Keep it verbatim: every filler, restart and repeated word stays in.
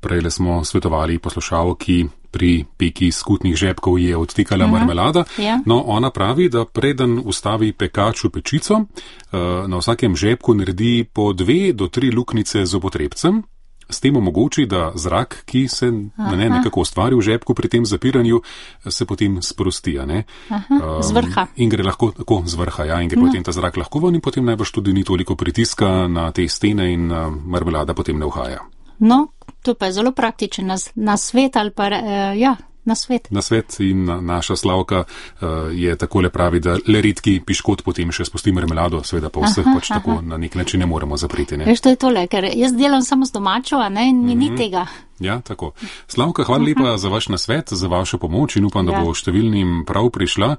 Prejle smo svetovali poslušalki, pri peki skutnih žepkov je odtekala uh-huh. marmelada. Ja. No, ona pravi, da preden ustavi pekač v pečico, na vsakem žepku naredi po dve do tri luknjice z zobotrebcem. S tem omogoči, da zrak, ki se ne, nekako ustvari v žepku pri tem zapiranju, se potem sprosti. Ne? Aha, z vrha. Um, in gre lahko tako z vrha, ja, in gre no. potem ta zrak lahko ven in potem najbrž tudi ni toliko pritiska na te stene in uh, marmelada potem ne uhaja. No, to pa je zelo praktičen na, na svet ali pa, uh, ja, na svet. Na svet in na, naša Slavka uh, je takole pravi, da le redki piškot potem še spusti marmelado, seveda pa vseh aha, pač aha. tako na nek način ne moremo zapriti. Ne? Veš, to je tole, ker jaz delam samo z domačo, a ne, in mi mm-hmm. ni tega. Ja, tako. Slavka, hvala lepa uh-huh. za vaš nasvet, za vašo pomoč in upam, da ja. bo številnim prav prišla.